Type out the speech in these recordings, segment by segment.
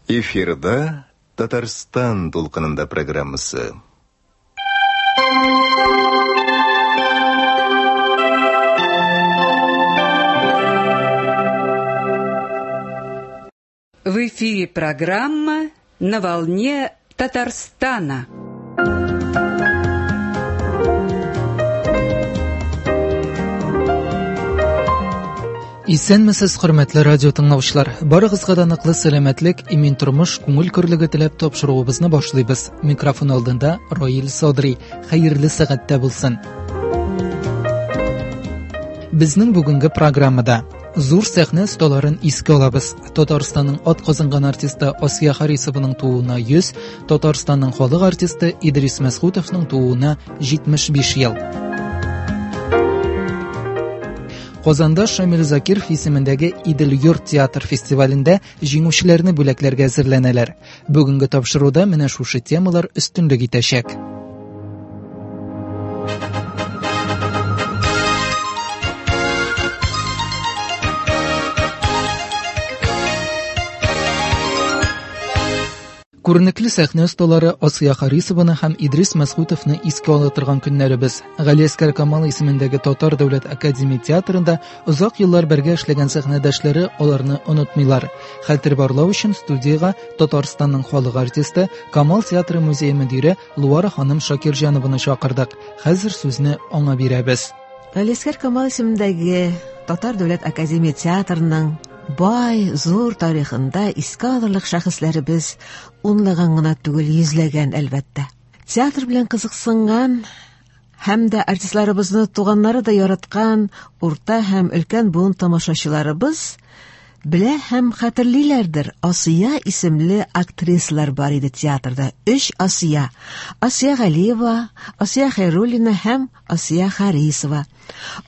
Эфирда Татарстан дулкынында программасы. В эфире программа «На волне Татарстана». Исәнмесез, хөрмәтле радио тыңлаучылар. Барыгызга да ныклы сәламәтлек, имин тормыш, күңел көрлеге теләп тапшыруыбызны башлыйбыз. Микрофон алдында Раил Садри. Хәерле сәгатьтә булсын. Безнең бүгенге программада зур сәхнә осталарын искә алабыз. Татарстанның ат казанган артисты Асия Харисованың тууына 100, Татарстанның халык артисты Идрис Мәсхутовның тууына 75 ел. Казанда Шамил Закиров исемендәге Идел йорт театр фестивалендә җиңүчеләрне бүләкләргә әзерләнәләр. Бүгенге тапшыруда менә шушы темалар өстенлек итәчәк. Күренекле сәхнә осталары Асия Харисованы һәм Идрис Мәсгутовны искә ала торган көннәребез. Галиәсгар Камал исемендәге Татар дәүләт академия театрында озак еллар бергә эшләгән сәхнәдәшләре аларны онытмыйлар. Хәтер барлау өчен студиягә Татарстанның халык артисты, Камал театры музее мөдире Луара ханым Шакирҗанованы чакырдык. Хәзер сүзне аңа бирәбез. Галиәсгар Камал исемендәге Татар дәүләт академия театрының бай, зур тарихында искә алырлык шәхесләребез унлаган гына түгел, йөзләгән, әлбәттә. Театр белән кызыксынган һәм дә артистларыбызны туганнары да яраткан урта һәм өлкән буын тамашачыларыбыз белә һәм хәтерлиләрдер, Асия исемле актрисалар бар иде театрда. Өч Асия. Асия Галиева, Асия Хәйруллина һәм Асия Харисова.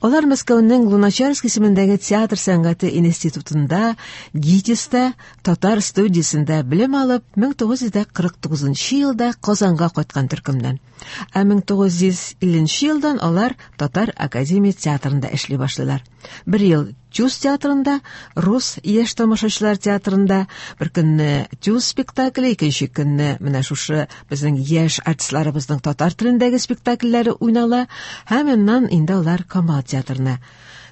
Алар Мәскәүнең Луначарский исемендәге театр сәнгате институтында, ГИТИСта, татар студиясендә белем алып, 1949 елда Казанга кайткан төркемнән. Ә 1950 елдан алар Татар академия театрында эшли башлыйлар. Бер ел Тюз театрында, Рус яшь тамашачылар театрында, бер көнне Тюз спектакле, икенче көнне менә шушы безнең яшь артистларыбызның татар телендәге спектакльләре уйнала, һәм аннан инде алар Камал театрына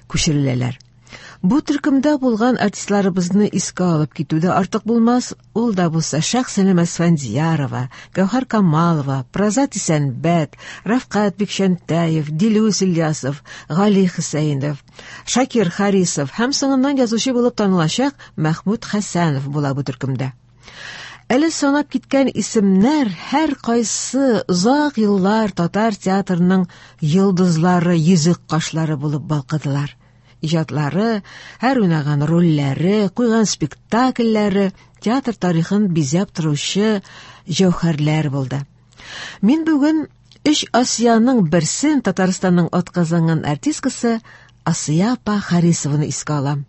күчереләләр. Бу төркемдә булган артистларыбызны искә алып китү дә артык булмас, ул да булса Шәхсәнем Әсфәндиярова, Гәүһәр Камалова, Празат Исәнбәт, Рафкат Бикчәнтәев, Дилүс Ильясов, Гали Хөсәенов, Шакир Харисов һәм соңыннан язучы булып танылачак Мәхмүт Хәсәнов була бу төркемдә. Әле санап киткән исемнәр һәр кайсы озак еллар татар театрының йолдызлары, йөзек кашлары булып балкыдылар. Иҗатлары, һәр уйнаган рольләре, куйган спектакльләре театр тарихын бизәп торучы җәүһәрләр булды. Мин бүген өч Асияның берсен, Татарстанның атказанган артисткасы Асия апа Харисованы искә алам.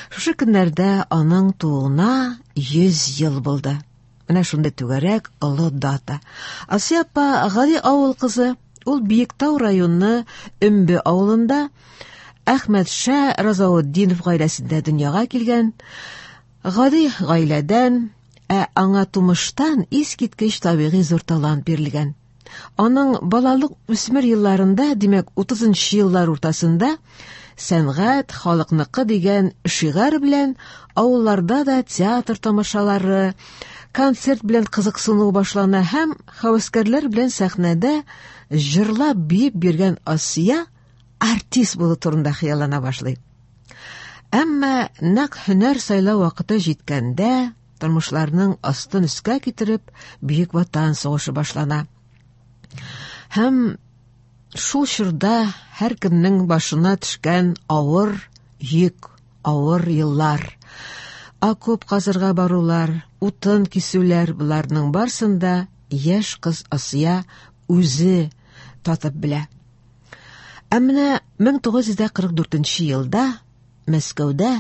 Шушы көннәрдә аның тууына 100 ел булды. Менә шундый түгәрәк олы дата. Асия апа гади авыл кызы, ул Биектау районы Өмбе авылында Әхмәтша Разаутдинов гаиләсендә дөньяга килгән. Гади гаиләдән, ә аңа тумыштан искиткеч табигый зур талант бирелгән. Аның балалык үсмер елларында, димәк, 30 еллар уртасында сәнгать халыкныкы дигән шигарь белән авылларда да театр тамашалары, концерт белән кызыксыну башлана һәм һәвәскәрләр белән сәхнәдә җырлап биеп биргән Асия артист булу турында хыяллана башлый. Әмма нәкъ һөнәр сайлау вакыты җиткәндә, тормышларның астын өскә китереп, Бөек Ватан сугышы башлана. Һәм шул чорда һәркемнең башына төшкән авыр йөк, авыр еллар, окоп казырга барулар, утын кисүләр, боларның барысын да яшь кыз Асия үзе татып белә. Ә менә 1944 елда Мәскәүдә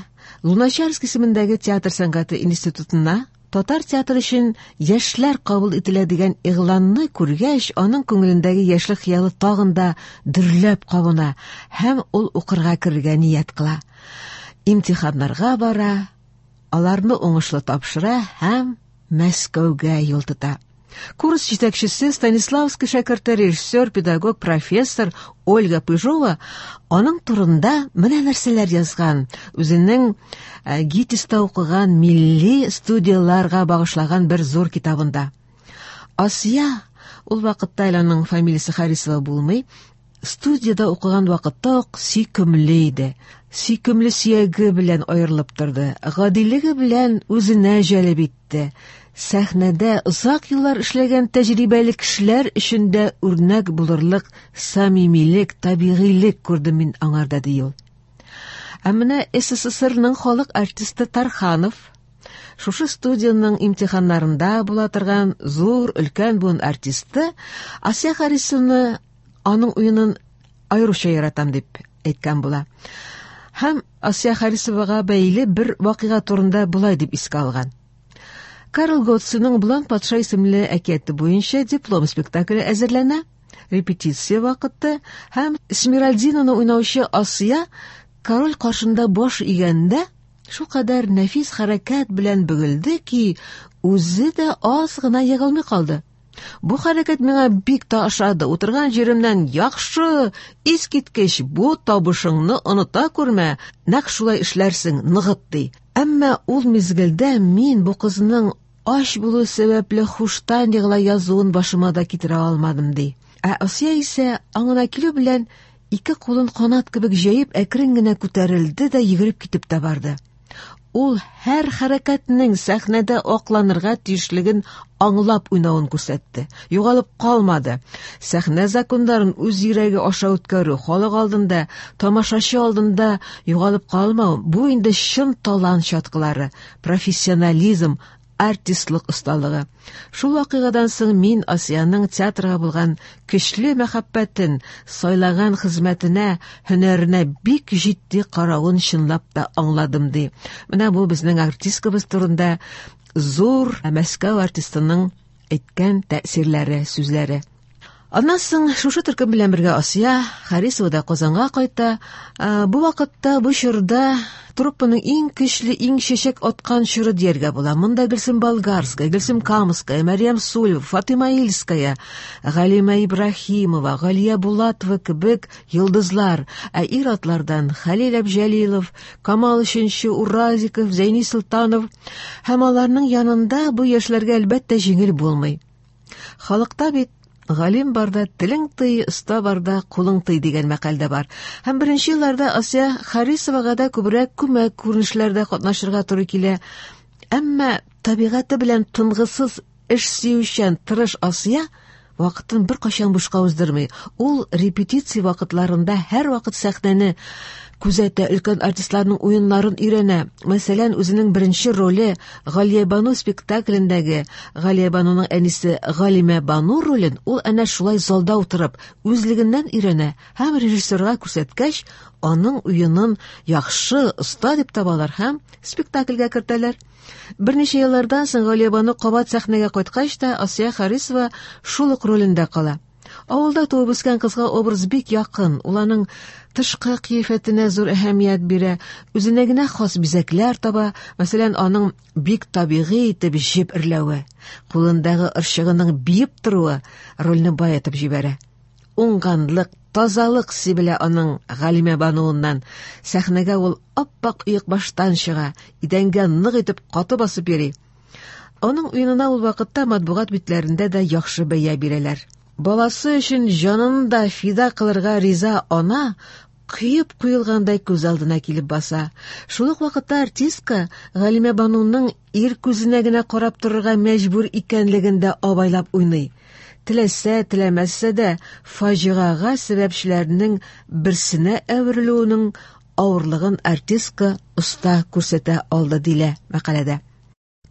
Луначарский исемендәге театр сәнгате институтына Татар театры өчен яшьләр кабул ителә дигән игъланны күргәч, аның күңелендәге яшьлек хыялы тагын да дөрләп кабына һәм ул укырга керергә ният кыла. Имтиханнарга бара, аларны уңышлы тапшыра һәм Мәскәүгә юл тота. Курс җитәкчесе Станиславский шәкерте, режиссер, педагог, профессор Ольга Пыжова аның турында менә нәрсәләр язган. Үзенең ГИТИСта укыган милли студияларга багышлаган бер зур китабында. Асия, ул вакытта әле аның фамилиясе Харисова булмый, студияда укыган вакытта ук сөйкемле иде. Сөйкемле сөяге белән аерылып торды, гадилеге белән үзенә җәлеп итте. Сәхнәдә озак еллар эшләгән тәҗрибәле кешеләр өчен дә үрнәк булырлык самимилек, табигыйлек күрдем мин аңарда, ди ул. Ә менә СССРның халык артисты Тарханов, шушы студияның имтиханнарында була торган зур өлкән буын артисты, Асия Харисовны аның уенын аеруча яратам дип әйткән була. Һәм Асия Харисовага бәйле бер вакыйга турында болай дип искә алган. Карл Готсының Блан патша исемле әкияте буенча диплом спектакле әзерләнә. Репетиция вакыты һәм Смиральдинаны уйнаучы Асия король каршында баш игәндә шулкадәр нәфис хәрәкәт белән бөгелде ки, үзе дә аз гына егылмый калды. Бу хәрәкәт миңа бик тә ошады. Утырган җиремнән яхшы, искиткеч, бу табышыңны оныта күрмә, нәкъ шулай эшләрсең, ныгыт ди. Әмма ул мизгелдә мин бу кызның ач булу сәбәпле хуштан егыла язуын башыма да китерә алмадым ди. Ә Асия исә аңына килү белән ике кулын канат кебек җәеп әкрен генә күтәрелде дә йөгереп китеп тә барды. Ул һәр хәрәкәтнең сәхнәдә акланырга тиешлеген аңлап уйнавын күрсәтте. Югалып калмады. Сәхнә законнарын үз йөрәге аша үткәрү, халык алдында, тамашачы алдында югалып калмау, бу инде чын талант чаткылары, профессионализм, артистлык осталыгы. Шул вакыйгадан соң мин Асияның театрга булган көчле мәхәббәтен, сайлаган хезмәтенә, һөнәренә бик җитди каравын чынлап та аңладым ди. Менә бу безнең артисткабыз турында зур Мәскәү артистының әйткән тәэсирләре, сүзләре. Аннан соң шушы төркем белән бергә Асия Харисова да Казанга кайта. Бу вакытта, бу чорда труппаның иң көчле, иң чәчәк аткан чоры дияргә була. Монда Гөлсем Болгарская, Гөлсем Камская, Мәрьям Сулева, Фатыйма Ильская, Галимә Ибраһимова, Галия Булатова кебек йолдызлар, ә ир-атлардан Хәлил Әбҗәлилов, Камал Өченче, Уразиков, Зәйни Солтанов һәм аларның янында бу яшьләргә әлбәттә җиңел булмый. Халыкта бит галим барда телең тый, оста барда кулың тый дигән мәкаль дә бар. Һәм беренче елларда Асия Харисовага да күбрәк күмәк күренешләрдә катнашырга туры килә. Әмма табигате белән тынгысыз, эш сөючән, тырыш Асия вакытын беркайчан бушка уздырмый. Ул репетиция вакытларында һәр вакыт сәхнәне күзәтә, өлкән артистларның уеннарын өйрәнә. Мәсәлән, үзенең беренче роле Галия Бану спектаклендәге Галия Бануның әнисе Галимә Бану ролен ул әнә шулай залда утырып, үзлегеннән өйрәнә һәм режиссерга күрсәткәч, аның уенын яхшы, оста дип табалар һәм спектакльгә кертәләр. Берничә еллардан соң Галия Бану кабат сәхнәгә кайткач та Асия Харисова шул ук ролендә кала. Авылда туып үскән кызга образ бик якын, ул аның тышкы кыяфәтенә зур әһәмият бирә, үзенә генә хас бизәкләр таба, мәсәлән, аның бик табигый итеп җеп эрләве, кулындагы ырчыгының биеп торуы рольне баетып җибәрә. Уңганлык, тазалык сибелә аның Галимә Бануыннан. Сәхнәгә ул ап-ак оекбаштан чыга, идәнгә нык итеп каты басып йөри. Аның уенына ул вакытта матбугат битләрендә дә яхшы бәя бирәләр. Баласы өчен җанын да фида кылырга риза ана кыеп куелгандай күз алдына килеп баса. Шул ук вакытта артистка Галимә Бануның ир күзенә генә карап торырга мәҗбүр икәнлеген дә абайлап уйный. Теләсә, теләмәсә дә фаҗигага сәбәпчеләрнең берсенә әверелүенең авырлыгын артистка оста күрсәтә алды дилә мәкаләдә.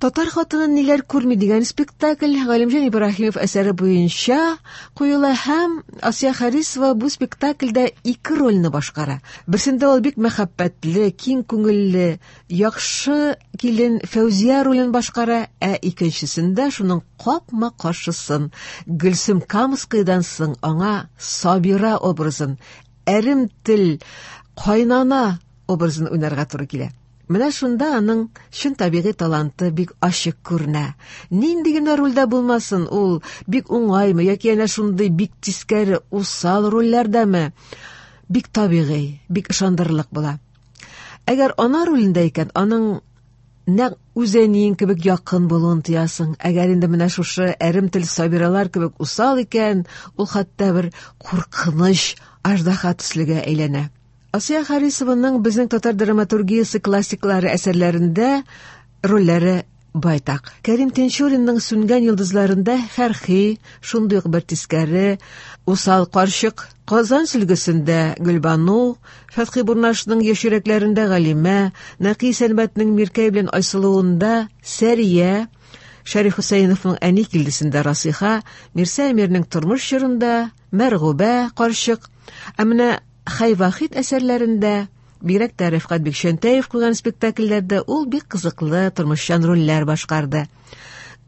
Татар хатыны ниләр күрми дигән спектакль Галимҗан Ибраһимов әсәре буенча куела һәм Асия Харисова бу спектакльдә ике рольне башкара. Берсендә ул бик мәхәббәтле, киң күңелле, яхшы килен Фәүзия ролен башкара, ә икенчесендә шуның капма-каршысын Гөлсем Камскаядан соң аңа Сабира образын, әрем тел, кайнана образын уйнарга туры килә. Менә шунда аның чын табигый таланты бик ачык күренә. Нинди генә рольдә булмасын, ул бик уңаймы яки әнә шундый бик тискәре, усал рольләрдәме, бик табигый, бик ышандырырлык була. Әгәр ана ролендә икән, аның нәкъ үз әниең кебек якын булуын тоясың. Әгәр инде менә шушы әрем тел Сабиралар кебек усал икән, ул хәтта бер куркыныч аждаһа төслегә әйләнә. Асия Харисованың безнең татар драматургиясе классиклары әсәрләрендә рольләре байтак. Кәрим Тинчуринның Сүнгән йолдызларында Фәрхи, шундый ук бер тискәре, усал карчык, Казан сөлгесендә Гөлбану, Фәтхи Бурнашның Яшь йөрәкләрендә Галимә, Нәкый Сәнбәтнең Миркәй белән Айсылуында Сәрия, Шәриф Хөсәеновның Әни килдесендә Расиха, Мирсә Әмирнең Тормыш чорында Мәргүбә карчык. Ә менә Хәй Вахит әсәрләрендә, бигрәк тә Рәфкать Бикчәнтәев куйган спектакльләрдә ул бик кызыклы тормышчан рольләр башкарды.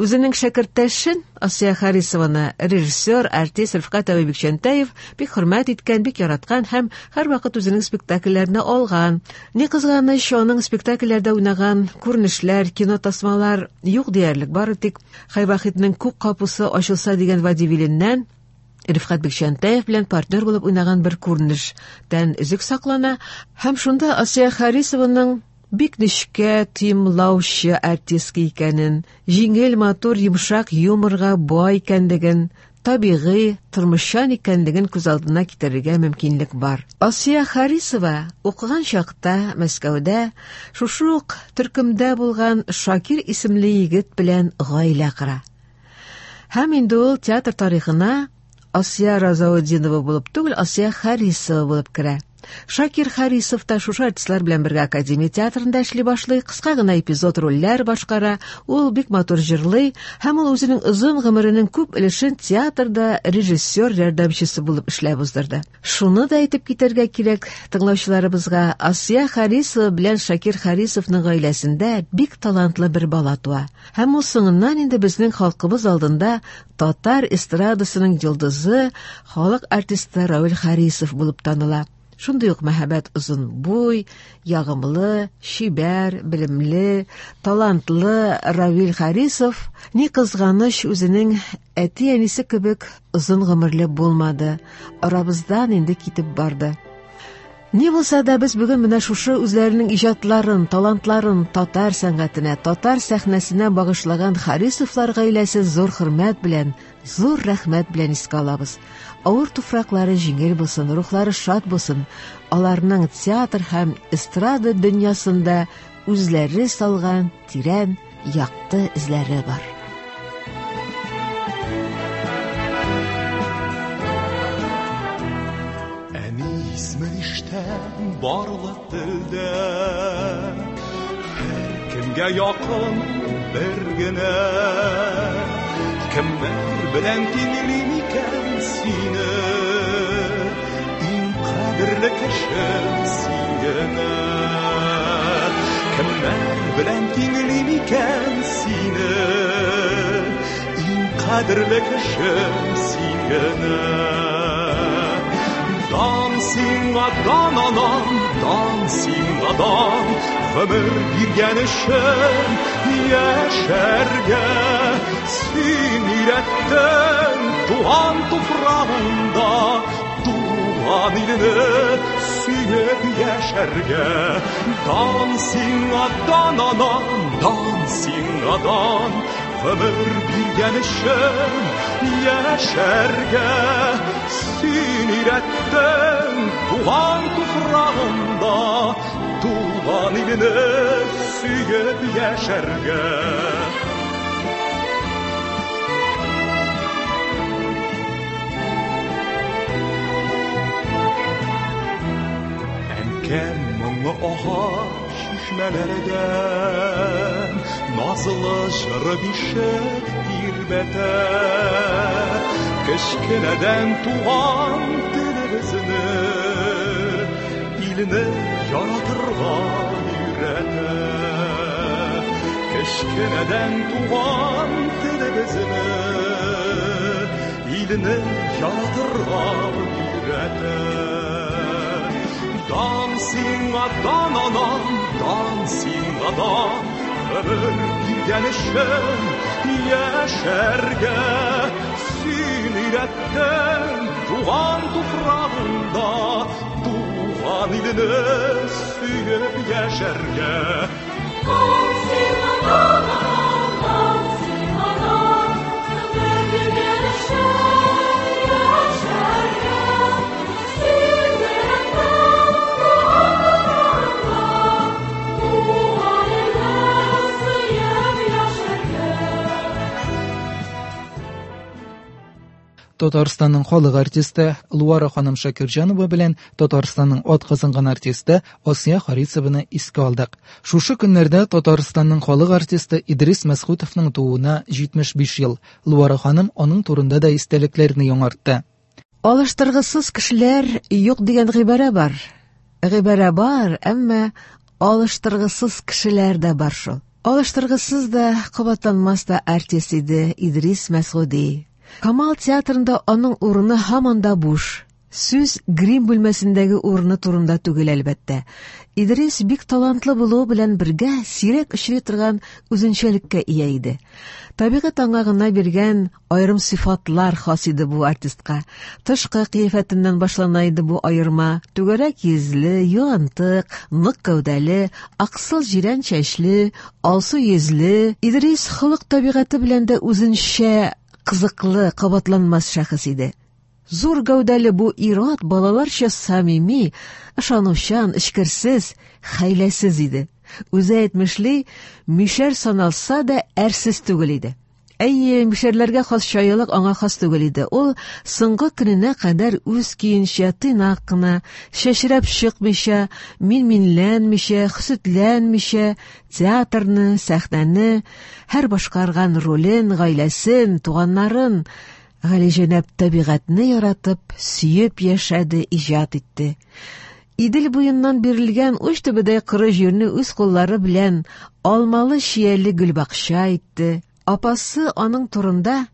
Үзенең шәкерттәшен Асия Харисованы режиссер, артист Рәфкать абый Бикчәнтәев бик хөрмәт иткән, бик яраткан һәм һәрвакыт үзенең спектакльләренә алган. Ни кызганыч, аның спектакльләрдә уйнаган күренешләр, кино тасмалар юк диярлек, бары тик Хәй Вахитның Күк капусы ачылса дигән водевиленнән Рифкать Бикчәнтәев белән партнер булып уйнаган бер күренештән өзек саклана һәм шунда Асия Харисованың бик нечкә тоемлаучы артистка икәнен, җиңел, матур, йомшак юморга бай икәнлеген, табигый, тормышчан икәнлеген күз алдына китерергә мөмкинлек бар. Асия Харисова укыган чакта Мәскәүдә шушы ук төркемдә булган Шакир исемле егет белән гаилә кора. Һәм инде ул театр тарихына Асия Разаутдинова булып түгел, Асия Харисова булып керә. Шакир Харисов та шушы артистлар белән бергә Академия театрында эшли башлый, кыска гына эпизод рольләр башкара, ул бик матур җырлый һәм ул үзенең озын гомеренең күп өлешен театрда режиссер ярдәмчесе булып эшләп уздырды. Шуны да әйтеп китәргә кирәк тыңлаучыларыбызга, Асия Харисова белән Шакир Харисовның гаиләсендә бик талантлы бер бала туа. Һәм ул соңыннан инде безнең халкыбыз алдында татар эстрадасының йолдызы, халык артисты Равил Харисов булып таныла. Шундый ук мәһабәт озын буй, ягымлы, чибәр, белемле, талантлы Равил Харисов ни кызганыч үзенең әти-әнисе кебек озын гомерле булмады, арабыздан инде китеп барды. Ни булса да без бүген менә шушы үзләренең иҗатларын, талантларын татар сәнгатенә, татар сәхнәсенә багышлаган Харисовлар гаиләсе зур хөрмәт белән, зур рәхмәт белән искә алабыз. Авыр туфраклары җиңел булсын, рухлары шат булсын. Аларның театр һәм эстрада дөньясында үзләре салган тирән, якты эзләре бар. Барлык телдә һәркемгә якын бер генә. Кемнәр белән тиңлим икән сине, иң кадерле кешем син генә. Кемнәр белән тиңлим икән сине, иң кадерле кешем син генә. Дан сиңа, дан анам, дан сиңа, дан, гомер биргән өчен яшәргә. Син өйрәттең туган туфрагыңда, туган илне сөеп яшәргә. Дан сиңа, дан анам, дан сиңа, дан, гомер биргән өчен яшәргә. Син өйрәттең туган туфрагыңда, туган илне сөеп яшәргә. Әнкәм моңы ага чишмәләрдән, Назлы җыры бишек тирбәтә. Кечкенәдән туган телебезне илне яратырга өйрәтә. Кечкенәдән туган телебезне илне яратырга өйрәтә. Дан сиңа, дан, анам, дан сиңа, дан, гомер биргән өчен яшәргә. Син өйрәттең туган туфрагыңда туган илне сөеп яшәргә. Дан сиңа, дан, анам, дан сиңа, дан, гомер биргән өчен яшәргә. Син өйрәттең туган туфрагыңда туган илне сөеп яшәргә. Татарстанның халык артисты Луара ханым Шакирҗанова белән Татарстанның атказанган артисты Асия Харисованы искә алдык. Шушы көннәрдә Татарстанның халык артисты Идрис Мәсхүтовның тууына 75 ел. Луара ханым аның турында да истәлекләрне яңартты. Алыштыргысыз кешеләр юк дигән гыйбарә бар. Гыйбарә бар, әмма алыштыргысыз кешеләр дә бар шул. Алыштыргысыз да, кабатланмас та артист иде Идрис Мәсгуди. Камал театрында аның урыны һаман да буш. Сүз грим бүлмәсендәге урыны турында түгел, әлбәттә. Идрис бик талантлы булуы белән бергә сирәк очрый торган үзенчәлеккә ия иде. Табигать аңа гына биргән аерым сыйфатлар хас иде бу артистка. Тышкы кыяфәтеннән башлана иде бу аерма. Түгәрәк йөзле, юантык, нык гәүдәле, аксыл җирән чәчле, алсу йөзле. Идрис холык табигате белән дә үзенчә кызыклы, кабатланмас шәхес иде. Зур гәүдәле бу ир-ат балаларча самими, ышанучан, эчкерсез, хәйләсез иде. Үзе әйтмешли, мишәр саналса да әрсез түгел иде. Әйе, мишәрләргә хас чаялык аңа хас түгел иде. Ул соңгы көненә кадәр үз көенчә, тыйнак кына, чәчрәп чыкмыйча, мин-минләнмичә, хөсетләнмичә, театрны, сәхнәне, һәр башкарган ролен, гаиләсен, туганнарын, галиҗәнәп табигатьне яратып, сөеп яшәде, иҗат итте. Идел буеннан бирелгән уч төбедәй коры җирне үз куллары белән алмалы чияле гөлбакча итте. Апасы аның турында: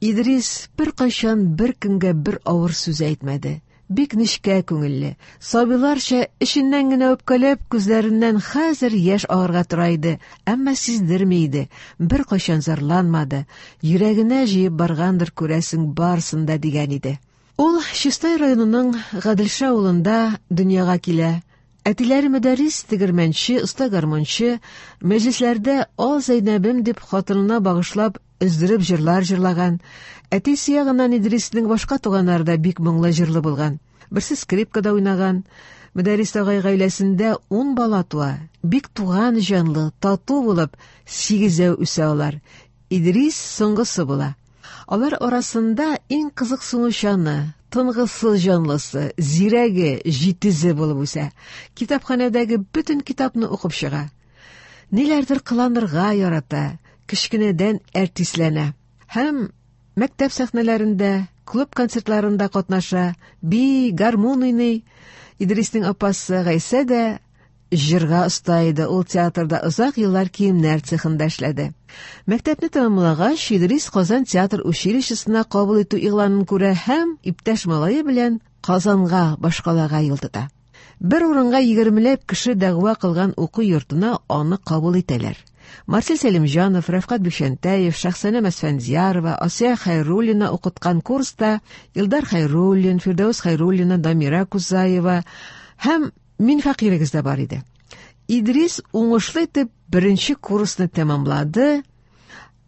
Идрис беркайчан бер кемгә бер авыр сүз әйтмәде. Бик нечкә күңелле, сабыйларча эченнән генә үпкәләп, күзләреннән хәзер яшь агарга тора иде, әмма сиздерми иде, беркайчан зарланмады, йөрәгенә җыеп баргандыр күрәсең барысын да, дигән иде. Ул Чистай районының Гаделша авылында дөньяга килә. Әтиләре мөдәррис, тегермәнче, оста гармунчы, мәҗлесләрдә «Ал Зәйнәбем» дип хатынына багышлап өздереп җырлар җырлаган. Әтисе ягыннан Идриснең башка туганнары да бик моңлы җырлы булган. Берсе скрипкада уйнаган. Мөдәррис агай гаиләсендә 10 бала туа. Бик туган җанлы, тату булып, сигезәү үсә алар. Идрис соңгысы була. Алар арасында иң кызыксынучаны, тынгысыз җанлысы, зирәге, җитезе булып үсә. Китапханәдәге бөтен китапны укып чыга. Ниләрдер кыланырга ярата, кечкенәдән әртисләнә. Һәм мәктәп сәхнәләрендә, клуб концертларында катнаша, бии, гармун уйный. Идриснең апасы Гайсә дә җырга оста иде. Ул театрда озак еллар киемнәр цехында эшләде. Мәктәпне тәмамлагач, Идрис Казан театр училищесына кабул итү игъланын күрә һәм иптәш малае белән Казанга, башкалага юл тота. Бер урынга 20ләп кеше дәгъва кылган уку йортына аны кабул итәләр. Марсель Сәлимҗанов, Рәфкать Бикчәнтәев, Шәхсәнә Мәсфәндиярова, Асия Хәйруллина укыткан курста Илдар Хәйруллин, Фирдәүс Хәйруллина, Дамира Кузаева һәм мин фәкыйрегез дә бар иде. Идрис уңышлы итеп беренче курсны тәмамлады.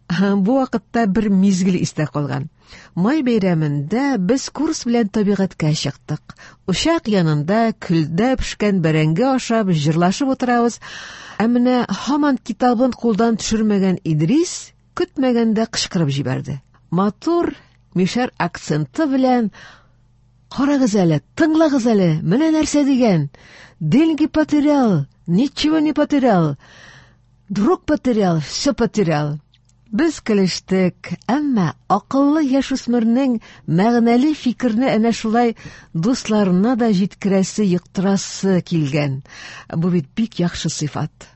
Бу вакытта бер мизгел истә калган. Май бәйрәмендә без курс белән табигатькә чыктык. Учак янында көлдә пешкән бәрәңге ашап, җырлашып утырабыз. Ә менә һаман китабын кулдан төшермәгән Идрис көтмәгәндә кычкырып җибәрде. Матур мишәр акценты белән: «Карагыз әле, тыңлагыз әле, менә нәрсә дигән. Деньги потерял, ничего не потерял». Друг потерял, все потерял. Без көлештек, әмма акыллы яшүсмернең мәгънәле фикерне әнә шулай дусларына да җиткерәсе, йоктырасы килгән. Бу бит бик яхшы сыйфат.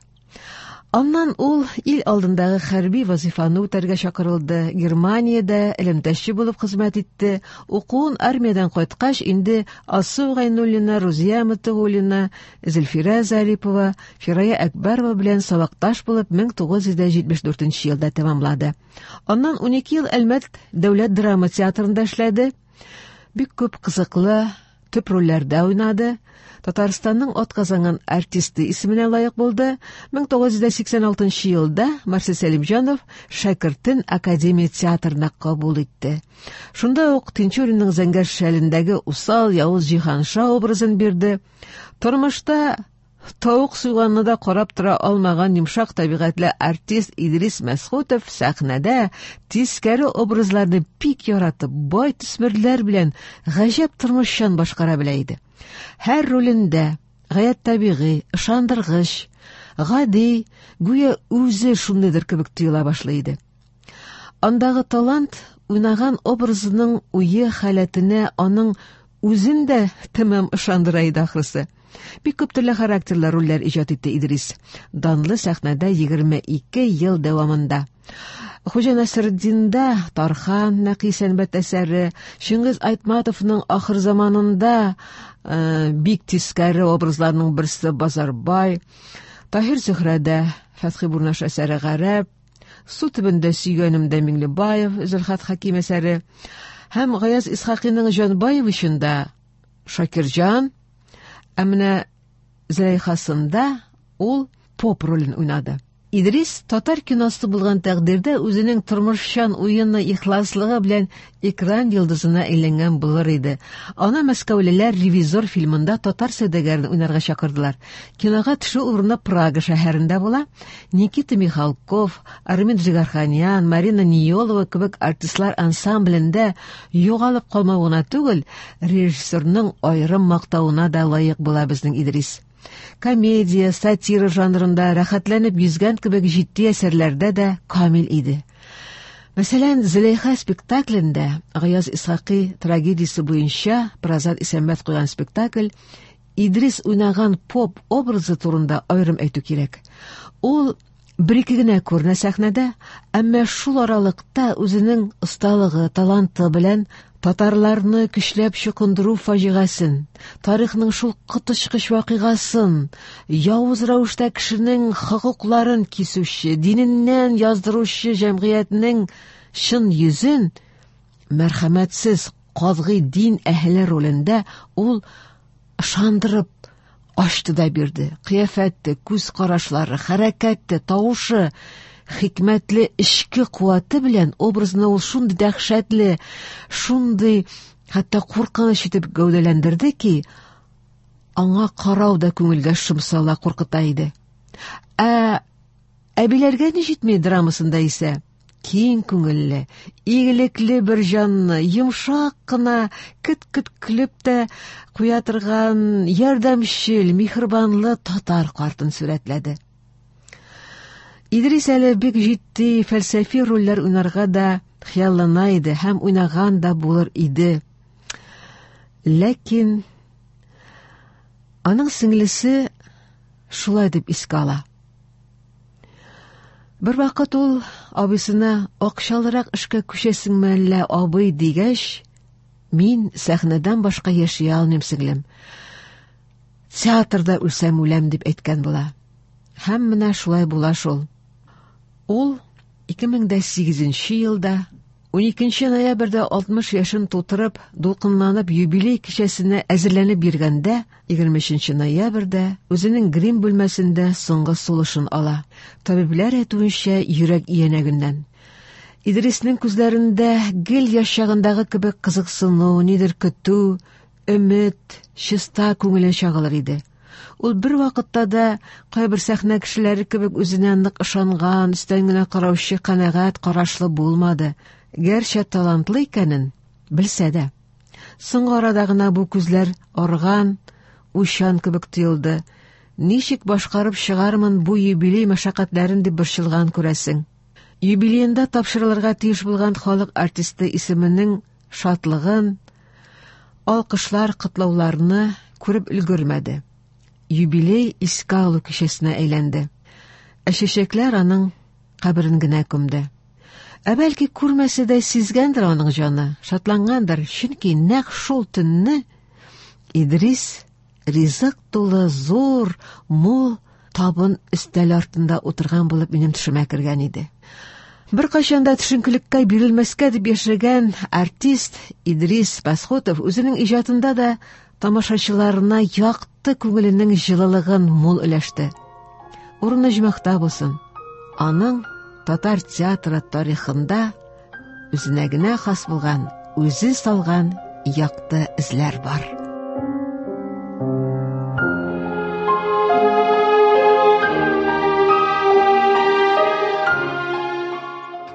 Аннан ул ил алдындагы хәрби вазифаны үтәргә чакырылды. Германиядә элемтәче булып хезмәт итте. Укуын армиядән кайткач инде Алсу Гайнуллина, Рузия Мотыгуллина, Зөлфирә Зарипова, Фирая Әкбәрова белән сабакташ булып 1974 елда тәмамлады. Аннан 12 ел Әлмәт дәүләт драма театрында эшләде. Бик күп кызыклы төп рольләрдә уйнады. Татарстанның атказанган артисты исеменә лаек булды. 1986 елда Марсель Сәлимҗанов шәкертен Академия театрына кабул итте. Шунда ук Тинчуринның Зәңгәр шәлендәге усал, явыз Җиһанша образын бирде. Тормышта тавык суйганны да карап тора алмаган йомшак табигатьле артист Идрис Мәсхүтов сәхнәдә тискәре образларны бик яратып, бай төсмерләр белән гаҗәп тормышчан башкара белә иде. Һәр ролендә гаять табигый, ышандыргыч, гади, гүя үзе шундыйдыр кебек тоела башлый иде. Андагы талант уйнаган образының уе халәтенә аның үзен дә тәмам ышандыра иде ахрысы. Бик күп төрле характерлы рольләр иҗат итте Идрис. Данлы сәхнәдә 22 ел дәвамында. Хуҗа Насретдинда Тархан Нәкый Сәнбәт әсәре, Чингиз Айтматовның Ахыр заманында бик тискәре образларның берсе Базарбай, Таһир Зөһрәдә Фәтхи Бурнаш әсәре Гарәп, Су төбендә сөйгәнемдә Миңлебаев, Зөлхат Хәким әсәре һәм Гаяз Исхакыйның Җанбаевичында Шакирҗан, ә менә Зөләйхасында ул поп ролен уйнады. Идрис татар киносы булган тәкъдирдә үзенең тормышчан уены ихласлыгы белән экран йолдызына әйләнгән булыр иде. Аны мәскәүлеләр «Ревизор» фильмында татар сәүдәгәрен уйнарга чакырдылар. Кинога төшү урыны Прага шәһәрендә була. Никита Михалков, Армин Джигарханян, Марина Ниелова кебек артистлар ансамблендә югалып калмау гына түгел, режиссерның аерым мактавына да лаек була безнең Идрис. Комедия, сатира жанрында рәхәтләнеп йөзгән кебек җитди әсәрләрдә дә камил иде. Мәсәлән, Зөләйха спектаклендә Гаяз Исхакый трагедиясе буенча Празат Исәнбәт куйган спектакль Идрис уйнаган поп образы турында аерым әйтү кирәк. Ул бер-ике генә күренә сәхнәдә, әмма шул аралыкта үзенең осталыгы, таланты белән татарларны көчләп чукындыру фаҗигасын, тарихның шул коточкыч вакыйгасын, явыз рәвештә кешенең хокукларын кисүче, диненнән яздыручы җәмгыятьнең чын йөзен мәрхәмәтсез катгый дин әһеле ролендә ул ышандырып ачты да бирде. Кыяфәте, күз карашлары, хәрәкәте, тавышы, хикмәтле эчке куәте белән образны ул шундый дәһшәтле, шундый хәтта куркыныч итеп гәүдәләндерде ки, аңа карау да күңелгә шом сала, куркыта иде. Ә Әбиләргә ни җитми драмасында исә киң күңелле, игелекле бер җанны, йомшак кына кет-кет көлеп тә куя торган ярдәмчел, миһербанлы татар картын сурәтләде. Идрис әле бик җитди фәлсәфи рольләр уйнарга да хыяллана иде һәм уйнаган да булыр иде. Ләкин аның сеңлесе шулай дип искә ала. Бер вакыт ул абыйсына акчалырак эшкә күчәсеңме әллә, абый дигәч, мин сәхнәдән башка яши алмыйм, сеңлем. Театрда үлсәм үләм дип әйткән була. Һәм менә шулай була шул. Ул 2008 елда 12 ноябрьдә 60 яшен тутырып, дулкынланып юбилей кичәсенә әзерләнеп йөргәндә, 23 ноябрьдә үзенең грим бүлмәсендә соңгы сулышын ала. Табибләр әйтүенчә, йөрәк иянәгеннән. Идриснең күзләрендә гел яшь чагындагы кебек кызыксыну, нидер көтү, өмет, чиста күңеле чагылыр иде. Ул бер вакытта да кайбер сәхнә кешеләре кебек үзенә нык ышанган, өстән генә караучы канәгать карашлы булмады. Гәрчә талантлы икәнен белсә дә. Соңгы арада гына бу күзләр арган, уйчан кебек тоелды. Ничек башкарып чыгармын бу юбилей мәшәкатьләрен дип борчылган күрәсең. Юбилеенда тапшырылырга тиеш булган халык артисты исеменең шатлыгын, алкышлар, котлауларны күреп өлгермәде. Юбилей искә алу кичәсенә әйләнде. Ә чәчәкләр аның каберен генә күмде. Ә бәлки күрмәсә дә сизгәндер аның җаны, шатлангандыр, чөнки нәкъ шул төнне Идрис ризык тулы зур, мул табын өстәл артында утырган булып минем төшемә кергән иде. Беркайчан да төшенкелеккә бирелмәскә дип яшәгән артист Идрис Пасхотов үзенең иҗатында да тамашачыларына якты күңеленең җылылыгын мул өләште. Урыны оҗмахта булсын. Аның татар театры тарихында үзенә генә хас булган, үзе салган якты эзләр бар.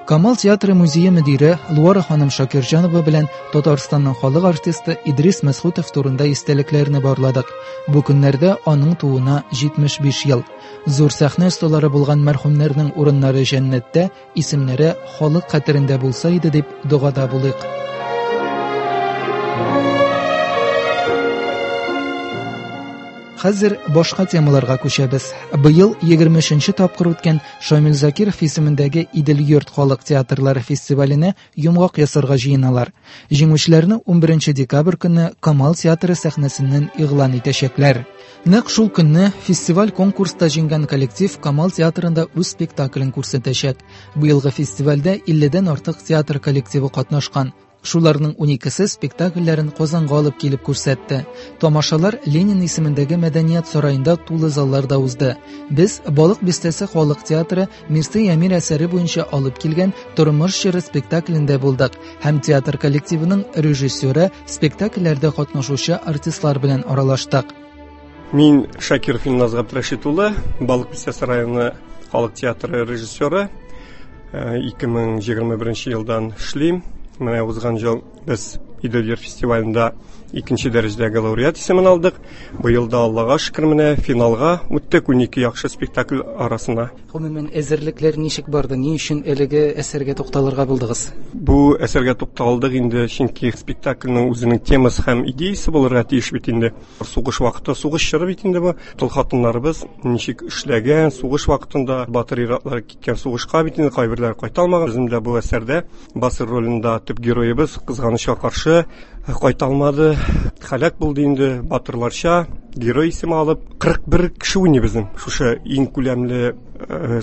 Камал театры музее мөдире Луара ханым Шакирҗанова белән Татарстанның халык артисты Идрис Мәсхүтов турында истәлекләрне барладык. Бу көннәрдә аның тууына 75 ел. Зур сәхнә осталары булган мәрхүмнәрнең урыннары җәннәттә, исемнәре халык хәтерендә булса иде дип догада булыйк. Хәзер башка темаларга күчәбез. Быел 23 тапкыр үткән Шамил Закиров исемендәге Идел-йорт халык театрлары фестиваленә йомгак ясарга җыеналар. Җиңүчеләрне 11 декабрь көнне Камал театры сәхнәсеннән игълан итәчәкләр. Нәкъ шул көнне фестиваль конкурста җиңгән коллектив Камал театрында үз спектаклен күрсәтәчәк. Быелгы фестивальдә 50дән артык театр коллективы катнашкан. Шуларның 12-се спектакльләрен Казанга алып килеп күрсәтте. Тамашалар Ленин исемендәге мәдәният сараенда тулы залларда узды. Без Балык бистәсе халык театры Мирсәй Әмир әсәре буенча алып килгән Тормыш җыры спектаклендә булдык һәм театр коллективының режиссеры, спектакльләрдә катнашучы артистлар белән аралаштык. Мин Шакиров Илназ Габдрәшит улы, Балык бистәсе районы халык театры режиссеры. 2021 елдан эшлим. Менә узган ел без Идел-Йорт фестивалендә икенче дәрәҗәдәге лауреат исемен алдык. Быел да Аллага шөкер менә финалга үттек 12 яхшы спектакль арасына. Гомумән, әзерлекләр ничек барды? Ни өчен әлеге әсәргә тукталырга булдыгыз? Бу әсәргә тукталдык инде, чөнки спектакльнең үзенең темасы һәм идеясе булырга тиеш бит инде. Сугыш вакыты, сугыш чоры бит инде бу. Тол хатыннарыбыз ничек эшләгән, сугыш вакытында батыр ир-атлар киткән сугышка бит инде, кайберләре кайта алмаган. Безнең дә бу әсәрдә Басыр ролендә төп героебыз кызганычка каршы кайта алмады, һәлак булды инде батырларча герой исеме алып. 41 кеше уйный безнең. Шушы иң күләмле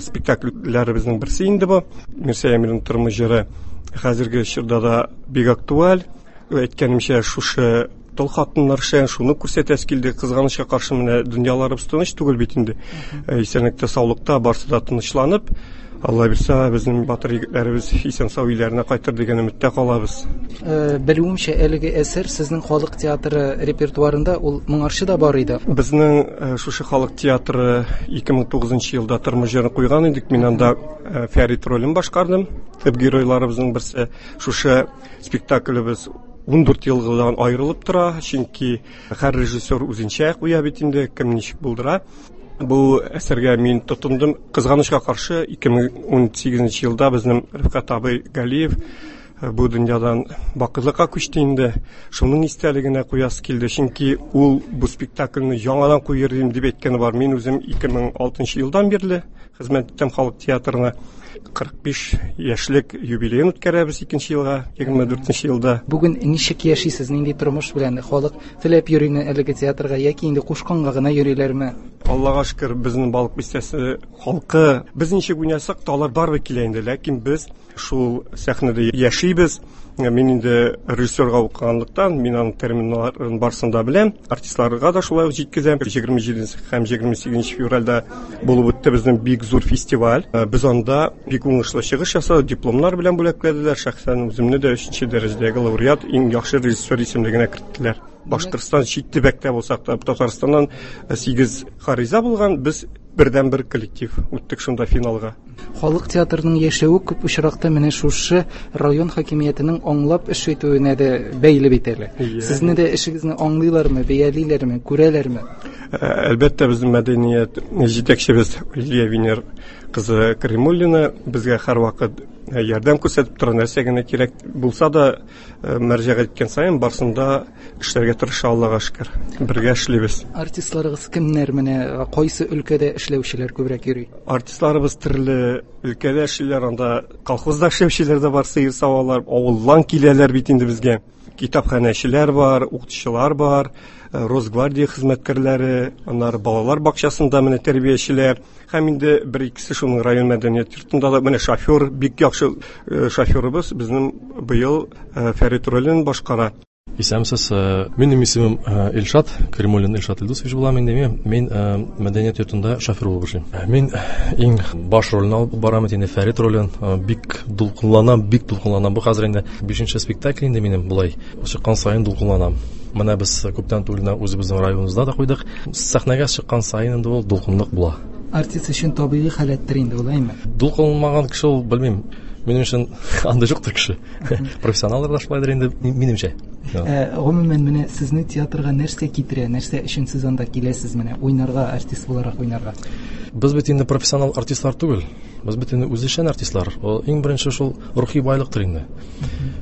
спектакльләребезнең берсе инде бу. Мирсәй Әмирнең тормыш җыры хәзерге чорда да бик актуаль. Әйткәнемчә, шушы тол хатыннар эшләгән, шуны күрсәтәсе килде. Кызганычка каршы менә дөньяларыбыз тыныч түгел бит инде. Исәнлектә, саулыкта барсы да тынычланып, Алла бирсә, безнең батыр егетләребез исән-сау өйләренә кайтыр дигән өметтә калабыз. Белүемчә, әлеге әсәр сезнең халык театры репертуарында ул моңарчы да бар иде. Безнең шушы халык театры 2009 елда тормыш җырын куйган идек. Мин анда Фәрит ролен башкардым. Төп геройларыбызның берсе. Шушы спектаклебез 14 елгыдан аерылып тора, чөнки һәр режиссер үзенчә куя бит инде, кем ничек булдыра. Бу әсәргә мин тотындым. Кызганычка каршы, 2018 елда безнең Рифкать абый Галиев бу дөньядан бакыйлыкка күчте инде. Шуның истәлегенә куясы килде, чөнки ул бу спектакльне яңадан куер идем дип әйткәне бар. Мин үзем 2006 елдан бирле хезмәт итәм халык театрына. 45 яшьлек юбилеен үткәрәбез икенче елга, 24 елда. Бүген ничек яшисез, нинди тормыш белән? Халык теләп йөриме әлеге театрга яки инде кушканга гына йөриләрме? Аллага шөкер, безнең Балык бистәсе халкы, без ничек уйнасак та, алар барыбер килә инде, ләкин без шул сәхнәдә яшибез. Мин инде режиссерга укыганлыктан, мин аның терминнарын барысын да беләм. Артистларга да шулай ук җиткезәм. 27 һәм 28 февральдә булып үтте безнең бик зур фестиваль. Без анда бик уңышлы чыгыш ясадык, дипломнар белән бүләкләделәр. Шәхсән үземне дә 3 дәрәҗәдәге лауреат, иң яхшы режиссер исемлегенә керттеләр. Башкортстан чит төбәктә булсак та, Татарстаннан 8 гариза булган, без бердән-бер коллектив үттек шунда финалга. Халык театрының яшәве күп очракта менә шушы район хакимиятенең аңлап эш итүенә дә бәйле бит әле. Сезне дә эшегезне аңлыйлармы, бәялиләрме, күрәләрме? Әлбәттә, безнең мәдәният җитәкчебез Лилия Венер кызы Каримуллина безгә һәрвакыт ярдәм күрсәтеп тора, нәрсә генә кирәк булса да, мөрәҗәгать иткән саен барысын да эшләргә тырыша, Аллага шөкер. Бергә эшлибез. Артистларыгыз кемнәр менә, кайсы өлкәдә эшләүчеләр күбрәк йөри? Артистларыбыз төрле өлкәдә эшлиләр, анда колхозда эшләүчеләр дә бар, сыер савалар, авылдан киләләр бит инде безгә. Китапханәчеләр бар, укытучылар бар, Росгвардия хезмәткәрләре, аннары балалар бакчасында менә тәрбиячеләр, һәм инде бер икесе шуның район мәдәният йортында да менә шофер, бик яхшы шоферыбыз безнең быел Фәрит ролен башкара. Исәнмесез, минем исемем Илшат, Каримуллин Илшат Илдусович булам инде. Мин мәдәният йортында шофер булып эшлим. Мин иң баш рольне алып барам инде, Фәрит ролен. Бик дулкынланам, бик дулкынланам. Бу хәзер инде 5нче спектакль инде минем болай. Чыккан саен дулкынланам. Менә без күптән түгел генә үзебезнең районыбызда да куйдык. Сәхнәгә чыккан саен инде ул дулкынлык була. Артист өчен табигый халәттер инде ул, әйме? Дулкынланмаган кеше ул, белмим. Минем өчен анда юктыр кеше. Профессионаллар да шулайдыр инде, минемчә. Гомумән, менә сезне театрга нәрсә китерә, нәрсә өчен сез анда киләсез, менә уйнарга, артист буларак уйнарга? Без бит инде профессионал артистлар түгел. Без бит инде үзешчән артистлар. Ул иң беренче шул рухи байлыктыр инде.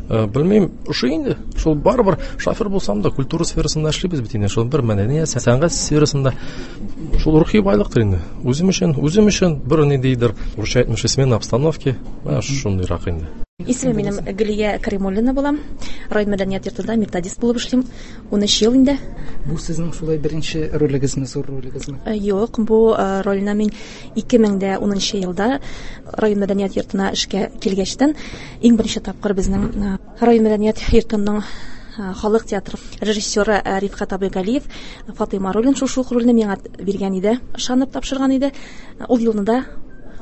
Белмим, ошый инде. Шул барыбер шофер булсам да, культура сферасында эшлибез бит инде. Шул бер мәдәният, сәнгать сферасында шул рухи байлыктыр инде. Үзем өчен, үзем өчен бер ниндидер, урысча әйтмешли, смена обстановки, менә шундыйрак инде. Исемем минем Гөлия Каримуллина була. Район мәдәният йортында методист булып эшлим. 13 ел инде. Бу сезнең шулай беренче ролегезме, зур ролегезме? Юк, бу рольне мин 2010 елда район мәдәният йортына эшкә килгәчтән иң беренче тапкыр безнең район мәдәният йортының халык театры режиссеры Рифкать абый Галиев Фатыйма ролен, шушы ук рольне миңа биргән иде, ышанып тапшырган иде. Ул елны да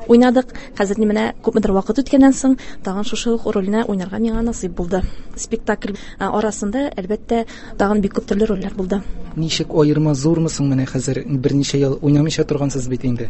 уйнадык. Хәзер менә күпмедер вакыт үткәннән соң тагын шушы ук рольне уйнарга миңа насыйп булды. Спектакль арасында, әлбәттә, тагын бик күп төрле рольләр булды. Ничек аерма зурмы соң менә хәзер берничә ел уйнамыйча торгансыз бит инде?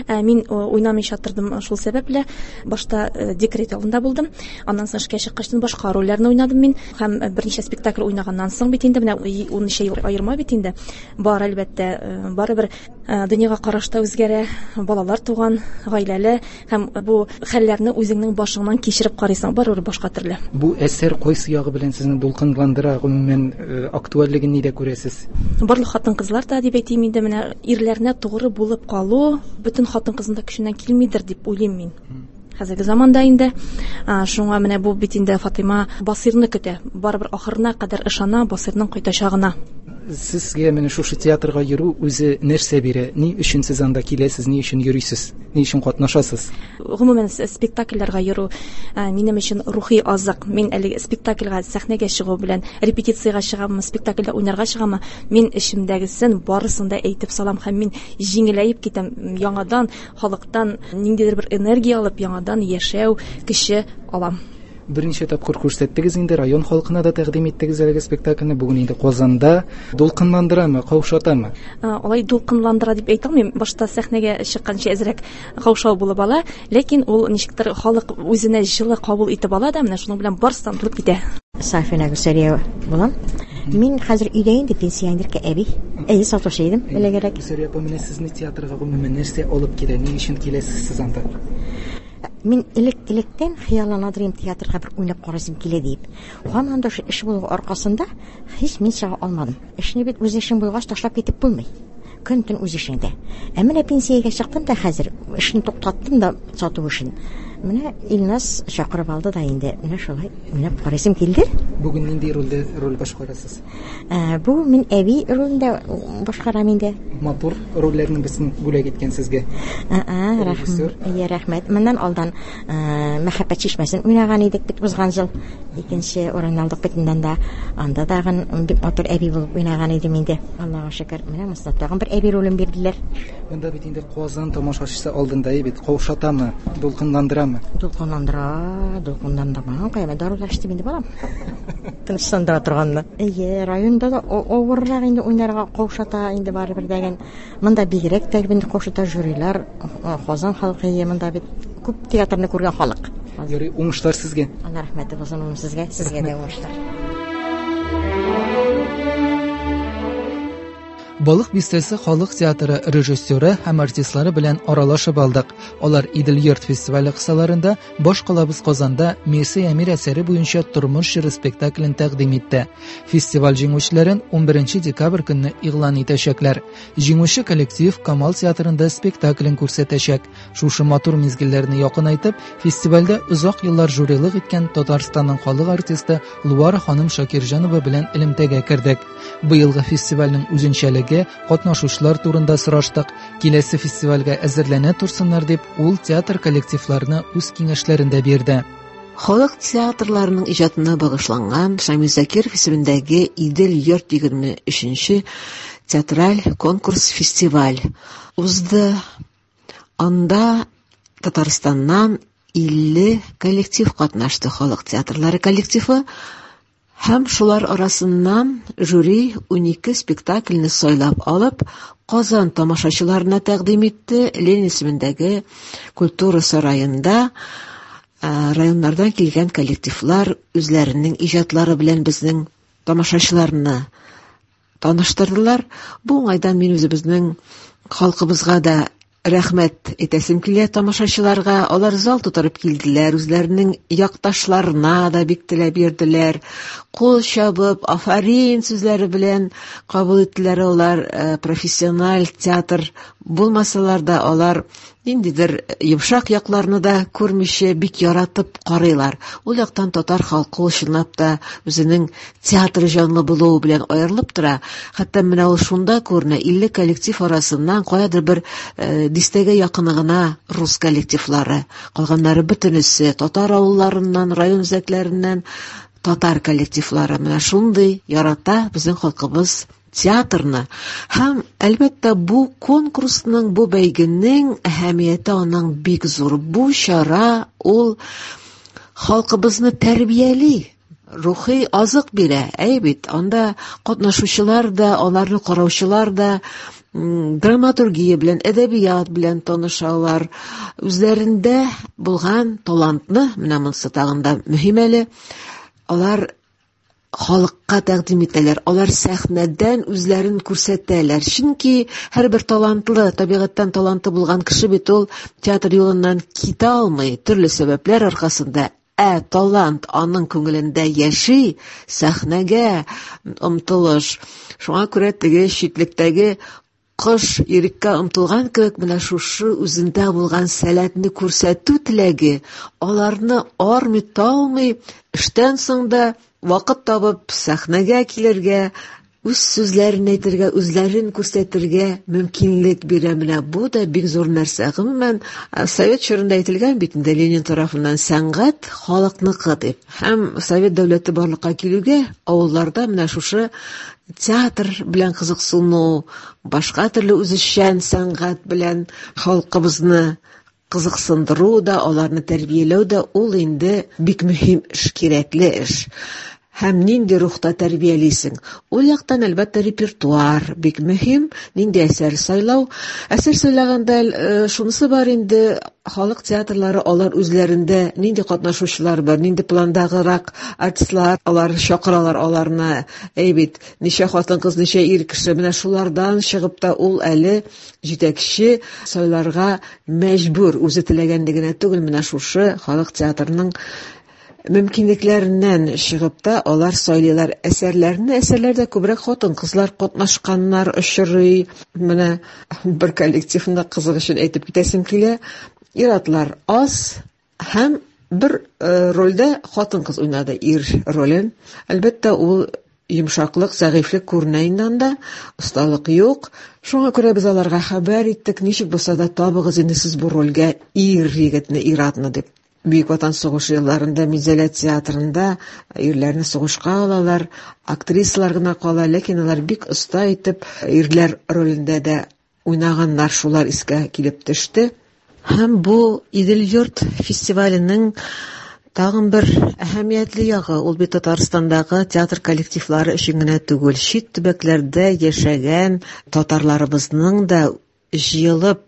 Мин уйнамыйча тордым шул сәбәпле. Башта декрет ялында булдым. Аннан соң эшкә чыккач башка рольләрне уйнадым мин. Һәм берничә спектакль уйнаганнан соң бит инде менә унничә ел аерма бит инде. Бар, әлбәттә, барыбер дөньяга караш та үзгәрә, балалар туган, гаиләле, һәм бу хәлләрне үзеңнең башыңнан кичереп карыйсың, барыбер башка төрле. Бу әсәр кайсы ягы белән сезне дулкынландыра, гомумән, актуальлеген нидә күрәсез? Барлык хатын-кызлар да дип әйтим инде, менә ирләренә тугры булып калу бөтен хатын-кызның да көченнән килмидер дип уйлыйм мин. Хәзерге заманда инде. Шуңа менә бу бит инде Фатыйма Басыйрны көтә. Барыбер ахырына кадәр ышана Басыйрның кайтачагына. Сезгә менә шушы театрга йөрү үзе нәрсә бирә? Ни өчен сез анда киләсез, ни өчен йөрисез, ни өчен катнашасыз? Гомумән, спектакльләргә йөрү минем өчен рухи азык. Мин әлеге спектакльгә сәхнәгә чыгу белән репетициягә чыгаммы, спектакльдә уйнарга чыгаммы, мин эчемдәгесен барысын да әйтеп салам һәм мин җиңеләеп китәм. Яңадан халыктан ниндидер бер энергия алып, яңадан яшәү көче алам. Берничә тапкыр күрсәттегез инде, район халкына да тәкъдим иттегез әлеге спектакльне. Бүген инде Казанда. Дулкынландырамы, каушатамы? Алай дулкынландыра дип әйтә алмыйм. Башта сәхнәгә чыкканчы әзрәк каушау булып ала, ләкин ул ничектер халык үзенә җылы кабул итеп ала да, менә шуның белән барысы да онытылып китә. Сафина Гүзәлия булам. Мин хәзер өйдә инде, пенсионерка әби. Әйе, сатучы идем, элегрәк. Гүзәлия апа, менә сезне театрга гомумән нәрсә алып килә? Ни өчен киләсез сез анда? Мин элек-электән хыяллана идем театрга бер уйнап карасым килә дип. Һаман да шул эш булу аркасында һич мин чыга алмадым. Эшне бит үз эшең булгач ташлап китеп булмый. Көн-төн үз эшеңдә. Ә менә пенсиягә чыктым да хәзер эшне туктаттым да сату эшен. Менә Илназ чакырып алды да инде. Менә шулай уйнап карасым килде. Бүген нинди рольдә роль башкарасыз? Бүген мин әби ролендә башкарам инде. Матур рольләрнең берсен бүләк иткән сезгә. Режиссер. Әйе, рәхмәт. Моннан алдан Мәхәббәт чишмәсен уйнаган идек бит узган ел. Икенче урын алдык бит инде анда. Анда тагын бик матур әби булып уйнаган идем инде. Аллага шөкер, менә монысында тагын бер әби ролен бирделәр. Монда бит инде Казан тамашачысы алдында бит. Каушатамы, дулкынландырамы? Дулкынландыра, дулкынландырмаган кая, мин дарулар эчтем инде, балам. Тынычландыра торганны. Әйе, районда да авыррак инде уйнарга, каушата инде барыбер дәген. Монда бигрәк тә инде каушата жюрилар, Казан халкы, әйе, монда бит күп театрны күргән халык. Ярый, уңышлар сезгә. Алла рәхмәте булсын улым сезгә, сезгә дә уңышлар. Балык Бистәсе халык театры режиссеры һәм артистлары белән аралашып алдык. Алар Идел-йорт фестивале кысаларында баш калабыз Казанда Мирсәй Әмир әсәре буенча Тормыш җыры спектаклен тәкъдим итте. Фестиваль җиңүчеләрен 11 декабрь көнне игълан итәчәкләр. Җиңүче коллектив Камал театрында спектаклен күрсәтәчәк. Шушы матур мизгелләрне якынайтып, фестивальдә озак еллар жюрилык иткән Татарстанның халык артисты Луара ханым Шакирҗанова белән элемтәгә кердек. Быелгы фестивальнең үзенчәлеге, катнашучылар турында сораштык. Киләсе фестивальгә әзерләнә торсыннар дип, ул театр коллективларына үз киңәшләрен дә бирде. Халык театрларының иҗатына багышланган Шамил Закиров исемендәге Идел йорт 23 театраль конкурс-фестиваль узды. Анда Татарстаннан 50 коллектив катнашты, халык театрлары коллективы, һәм шулар арасыннан жюри 12 спектакльне сайлап алып, Казан тамашачыларына тәкъдим итте. Ленин исемендәге культура сараенда районнардан килгән коллективлар үзләренең иҗатлары белән безнең тамашачыларны таныштырдылар. Бу уңайдан мин үзебезнең халкыбызга да рәхмәт әйтәсем килә, тамашачыларга. Алар зал тутырып килделәр, үзләренең якташларына да бик теләп йөрделәр. Кул чабып, афарин сүзләре белән кабул иттеләр алар. Профессиональ театр булмасалар да, алар ниндидер йомшак якларны да күрмичә бик яратып карыйлар. Ул яктан татар халкы ул чынлап та үзенең театр җанлы булуы белән аерылып тора. Хәтта менә ул шунда күренә, 50 коллектив арасыннан каядыр бер дистәгә якыны гына рус коллективлары, калганнары бөтенесе татар авылларыннан, район үзәкләреннән татар коллективлары. Менә шундый ярата безнең халкыбыз театрны. Һәм, әлбәттә, бу конкурсның, бу бәйгенең әһәмияте аның бик зур. Бу чара ул халкыбызны тәрбияли, рухи азык бирә. Әй бит, анда катнашучылар да, аларны караучылар да драматургия белән, әдәбият белән танышалар. Үзләрендә булган талантны, менә монысы тагын да мөһим әле, алар халыкка тәкъдим итәләр, алар сәхнәдән үзләрен күрсәтәләр. Чөнки һәрбер талантлы, табигатьтән таланты булган кеше бит ул театр юлыннан китә алмый, төрле сәбәпләр аркасында. Ә талант аның күңелендә яши, сәхнәгә омтылыш. Шуңа күрә теге читлектәге кош иреккә омтылган кебек, менә шушы үзендә булган сәләтне күрсәтү теләге аларны армый, талмый, эштән соң да вакыт табып сәхнәгә килергә, үз сүзләрен әйтергә, үзләрен күрсәтергә мөмкинлек бирә. Менә бу да бик зур нәрсә. Гомумән, совет чорында әйтелгән бит инде Ленин тарафыннан, сәнгать халыкныкы дип. Һәм совет дәүләте барлыкка килүгә авылларда менә шушы театр белән кызыксыну, башка төрле үзешчән сәнгать белән халкыбызны кызыксындыру да, аларны тәрбияләү дә ул инде бик мөһим эш, кирәкле эш. Һәм нинди рухта тәрбиялисең? Ул яктан, әлбәттә, репертуар бик мөһим, нинди әсәр сайлау. Әсәр сайлаганда шунысы бар инде, халык театрлары алар үзләрендә нинди катнашучылар бар, нинди пландагырак артистлар, алар чакыралар аларны. Әй бит, ничә хатын-кыз, ничә ир кеше, менә шулардан чыгып та ул әле җитәкче сайларга мәҗбүр, үзе теләгәнне генә түгел, менә шушы халык театрының мөмкинлекләреннән чыгып та алар сайлыйлар әсәрләрне. Әсәрләрдә күбрәк хатын-кызлар катнашканнар очрый. Менә бер коллективны кызык өчен әйтеп китәсем килә. Ир-атлар аз һәм бер рольдә хатын-кыз уйнады ир ролен. Әлбәттә, ул йомшаклык, зәгыйфьлек күренә инде анда, осталык юк. Шуңа күрә без аларга хәбәр иттек, ничек булса да табыгыз инде сез бу рольгә ир егетне, ир-атны дип. Бөек Ватан сугышы елларында Минзәлә театрында ирләрне сугышка алалар, актрисалар гына кала, ләкин алар бик оста итеп ирләр ролендә дә уйнаганнар, шулар искә килеп төште. Һәм бу Идел-йорт фестиваленең тагын бер әһәмиятле ягы, ул бит Татарстандагы театр коллективлары өчен генә түгел, чит төбәкләрдә яшәгән татарларыбызның да җыелып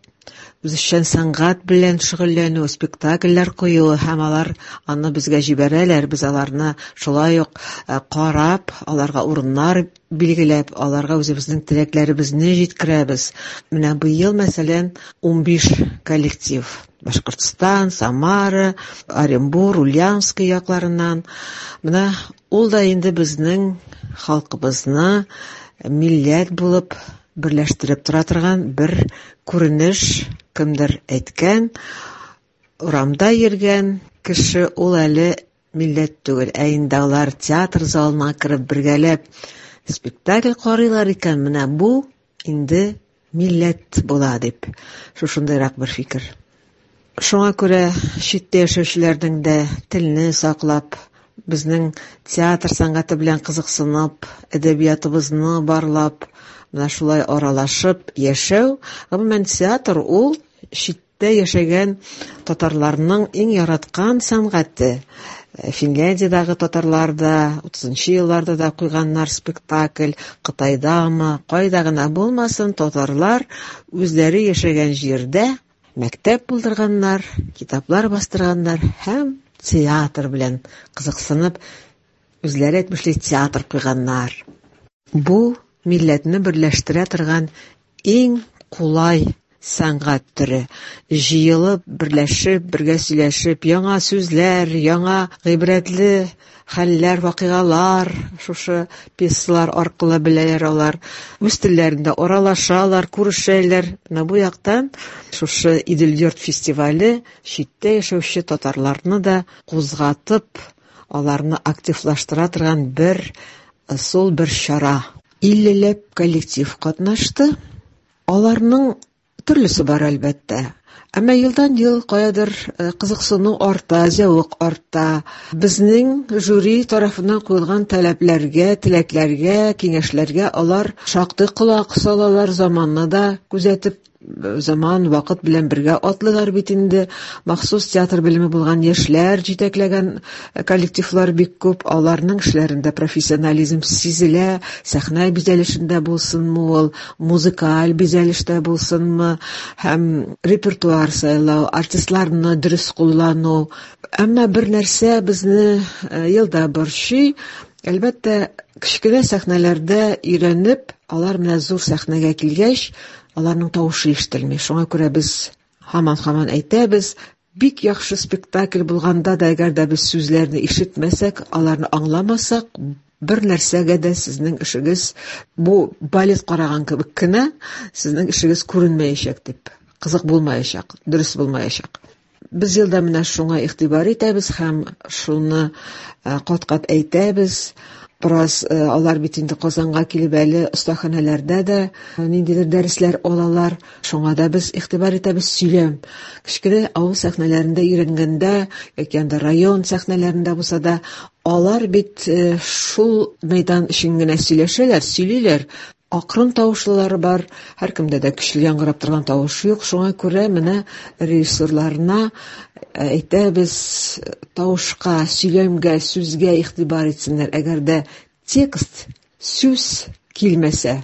үзешчән сәнгать белән шөгыльләнү, спектакльләр куюы һәм алар аны безгә җибәрәләр, без аларны шулай ук карап, аларга урыннар билгеләп, аларга үзебезнең теләкләребезне җиткерәбез. Менә быел, мәсәлән, 15 коллектив Башкортстан, Самара, Оренбур, Ульяновский якларыннан. Менә ул да инде безнең халкыбызны милләт булып берләштереп тора торган бер күренеш. Кемдер әйткән, урамда йөргән кеше ул әле милләт түгел, ә инде алар театр залына кереп бергәләп спектакль карыйлар икән, менә бу инде милләт була дип. Шушындыйрак бер фикер. Шуңа күрә читтә яшәүчеләрнең дә телне саклап, безнең театр сәнгате белән кызыксынып, әдәбиятыбызны барлап, менә шулай аралашып яшәү, гомумән театр ул читтә яшәгән татарларның иң яраткан сәнгате. Финляндиядәге татарлар да 30 елларда да куйганнар спектакль, Кытайдамы, кайда гына булмасын, татарлар үзләре яшәгән җирдә мәктәп булдырганнар, китаплар бастырганнар һәм театр белән кызыксынып, үзләре әйтмешли театр куйганнар. Бу милләтне берләштерә торган иң кулай сәнгать төре. Җыелып, берләшеп, бергә сөйләшеп, яңа сүзләр, яңа гыйбрәтле хәлләр, вакыйгалар шушы пьесалар аркылы беләләр алар. Үз телләрендә аралашалар, күрешәләр. Менә бу яктан шушы Идел-йорт фестивале читтә яшәүче татарларны да кузгатып, аларны активлаштыра торган бер ысул, бер чара. 50ләп коллектив катнашты. Аларның төрлесе бар, әлбәттә. Әмма елдан-ел каядыр кызыксыну арта, зәвык арта. Безнең жюри тарафыннан куелган таләпләргә, теләкләргә, киңәшләргә алар шактый колак салалар, заманны да күзәтеп, заман, вакыт белән бергә атлыйлар бит инде. Махсус театр белеме булган яшьләр җитәкләгән коллективлар бик күп. Аларның эшләрендә профессионализм сизелә, сәхнә бизәлешендә булсынмы ул, музыкаль бизәлештә булсынмы, һәм репертуар сайлау, артистларны дөрес куллану. Әмма бер нәрсә безне елда борчый. Әлбәттә, кечкенә сәхнәләрдә өйрәнеп, алар менә зур сәхнәгә килгәч, аларның тавышы ишетелми. Шуңа күрә без һаман-һаман әйтәбез, бик яхшы спектакль булганда да, әгәр дә без сүзләрне ишетмәсәк, аларны аңламасак, бер нәрсәгә дә сезнең эшегез, бу балет караган кебек кенә, сезнең эшегез күренмәячәк дип, кызык булмаячак, дөрес булмаячак. Без елда менә шуңа игътибар итәбез һәм шуны кат-кат әйтәбез. Бераз алар бит инде Казанга килеп әле остаханәләрдә дә ниндидер дәресләр алалар. Шуңа да без игътибар итәбез, сөйләм. Кечкенә авыл сәхнәләрендә өйрәнгәндә, яки анда район сәхнәләрендә булса да, алар бит шул мәйдан өчен генә сөйләшәләр, сөйлиләр. Акрын тавышлылары бар, һәркемдә дә көчле яңгырап торган тавыш юк. Шуңа күрә менә режиссерларына әйтәбез, тавышка, сөйләмгә, сүзгә игътибар итсеннәр. Әгәр дә текст, сүз килмәсә,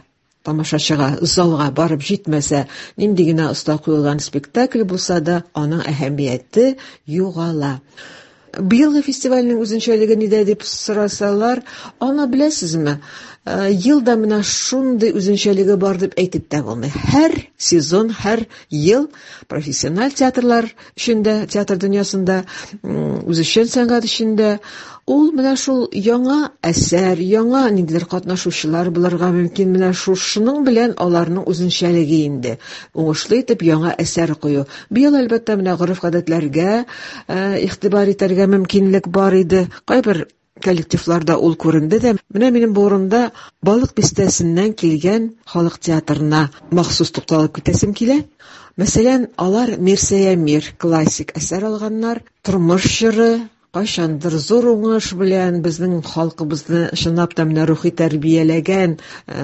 тамашачыга, залга барып җитмәсә, нинди генә оста куелган спектакль булса да, аның әһәмияте югала. Быелгы фестивальнең үзенчәлеге нидә дип сорасалар, аны беләсезме? Елда менә шундый үзенчәлеге бар дип әйтеп тә булмый. Һәр сезон, һәр ел профессиональ театрлар өчен дә, театр дөньясында, үзешчән сәнгать өчен дә ул менә шул яңа әсәр, яңа ниндидер катнашучылар булырга мөмкин. Менә шушының белән аларның үзенчәлеге инде. Уңышлы итеп яңа әсәр кую. Быел, әлбәттә, менә гореф-гадәтләргә игътибар итәргә мөмкинлек бар иде. Кайбер коллективларда ул күренде дә. Менә минем бу урында Балык бистәсеннән килгән халык театрына махсус тукталып китәсем килә. Мәсәлән, алар Мирсәя Мир классик әсәр алганнар. Тормыш җыры, кайчандыр зур уңыш белән безнең халкыбызны чынлап та менә рухи тәрбияләгән,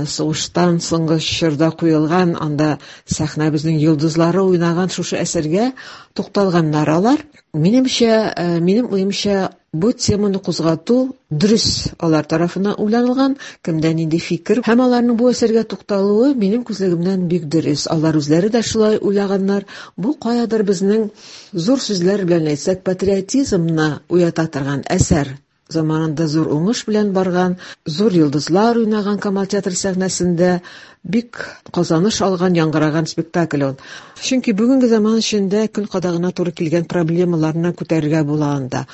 сугыштан соңгы чорда куелган, анда сәхнәбезнең йолдызлары уйнаган шушы әсәргә тукталганнар алар. Минемчә, минем уемча, Бу теманы кузгату дөрес алар тарафыннан уйланылган, кемдә нинди фикер һәм аларның бу әсәргә тукталуы минем күзлегемнән бик дөрес. Алар үзләре дә шулай уйлаганнар. Бу каядыр безнең зур сүзләр белән әйтсәк, патриотизмны уята торган әсәр. Заманында зур уңыш белән барган, зур йолдызлар уйнаган Камал театры сәхнәсендә бик казаныш алган, яңгыраган спектакль ул. Чөнки бүгенге заман эчендә көн кадагына туры килгән проблемаларны күтәрергә була анда.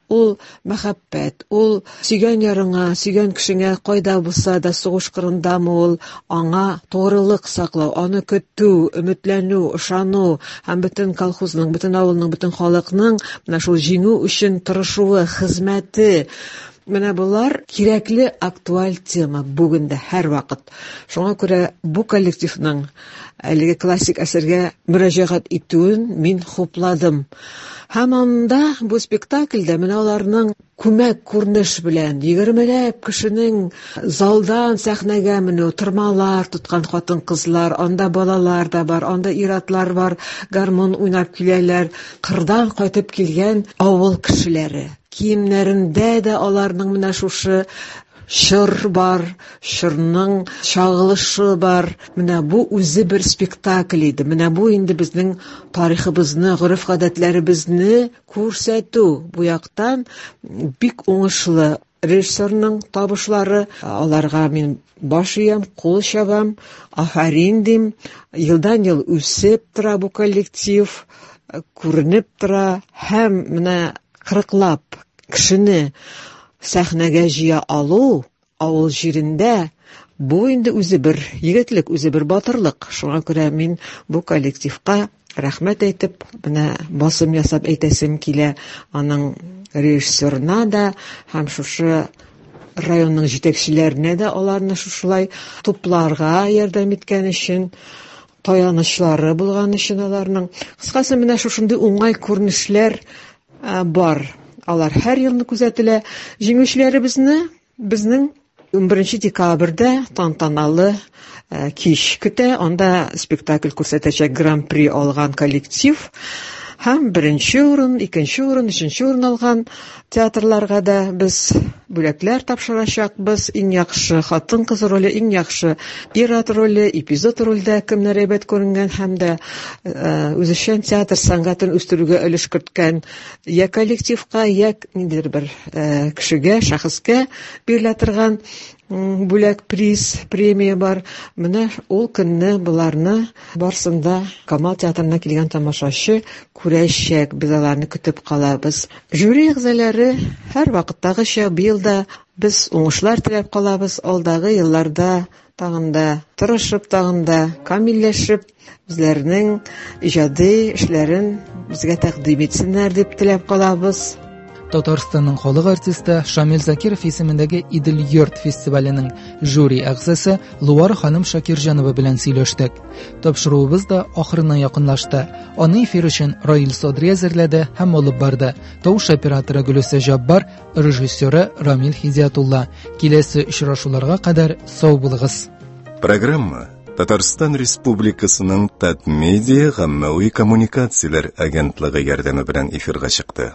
Ул мәхәббәт, ул сөйгән ярыңа, сөйгән кешеңә кайда булса да, сугыш кырындамы ул, аңа тугрылык саклау, аны көтү, өметләнү, ышану һәм бөтен колхозның, бөтен авылның, бөтен халыкның менә шул җиңү өчен тырышуы, хезмәте. Менә болар кирәкле актуаль тема бүген дә һәрвакыт. Шуңа күрә бу коллективның әлеге классик әсәргә мөрәҗәгать итүен мин хупладым. Һәм анда бу спектакльдә менә аларның күмәк күренеш белән егермеләп кешенең залдан сәхнәгә менү, тырмалар тоткан хатын-кызлар, анда балалар да бар, анда ир-атлар бар, гармун уйнап киләләр, кырдан кайтып килгән авыл кешеләре. Киемнәрендә дә аларның менә шушы чор бар, чорның чагылышы бар. Менә бу үзе бер спектакль иде. Менә бу инде безнең тарихыбызны, гореф-гадәтләребезне күрсәтү. Бу яктан бик уңышлы режиссерның табышлары. Аларга мин баш иям, кул чабам, афәрин дим. Елдан-ел үсеп тора бу коллектив, күренеп тора һәм менә кырыклап кешене сәхнәгә җыя алу авыл җирендә бу инде үзе бер егетлек, үзе бер батырлык. Шуңа күрә мин бу коллективка рәхмәт әйтеп, менә басым ясап әйтәсем килә аның режиссерына да һәм шушы районның җитәкчеләренә дә аларны шушылай тупларга ярдәм иткән өчен, таянычлары булган өчен аларның. Кыскасы, менә шушындый уңай күренешләр бар. Алар һәр елны күзәтелә. Җиңүчеләребезне безнең 11 декабрьдә тантаналы кич көтә. Анда спектакль күрсәтәчәк гран-при алган коллектив һәм беренче урын, икенче урын, өченче урын алган театрларга да без бүләкләр тапшырачакбыз. Иң яхшы хатын-кыз роле, иң яхшы ир-ат роле, эпизод рольдә кемнәр әйбәт күренгән һәм дә үзешчән театр сәнгатен үстерүгә өлеш керткән я коллективка, я ниндидер бер кешегә, шәхескә бирелә торган бүләк, приз, премия бар. Менә ул көнне боларны барсын да Камал театрына килгән тамашачы күрәчәк. Без аларны көтеп калабыз. Жюри әгъзалары һәр вакыттагыча быел да без уңышлар теләп калабыз. Алдагы елларда тагын да тырышып, тагын да камилләшеп, үзләренең иҗади эшләрен безгә тәкъдим итсеннәр дип теләп калабыз. Татарстанның халык артисты Шамил Закиров исемендәге Идел йорт фестиваленең жюри әгъзасы Луар ханым Шакирҗанова белән сөйләштек. Тапшыруыбыз да ахырына якынлашты. Аны эфир өчен Раил Садри әзерләде һәм алып барды. Тавыш операторы Гөлүсә Җаббар, режиссеры Рамил Хидиятулла. Киләсе очрашуларга кадәр сау булыгыз. Программа Татарстан Республикасының Татмедиа гаммәви коммуникацияләр агентлыгы ярдәме белән эфирга чыкты.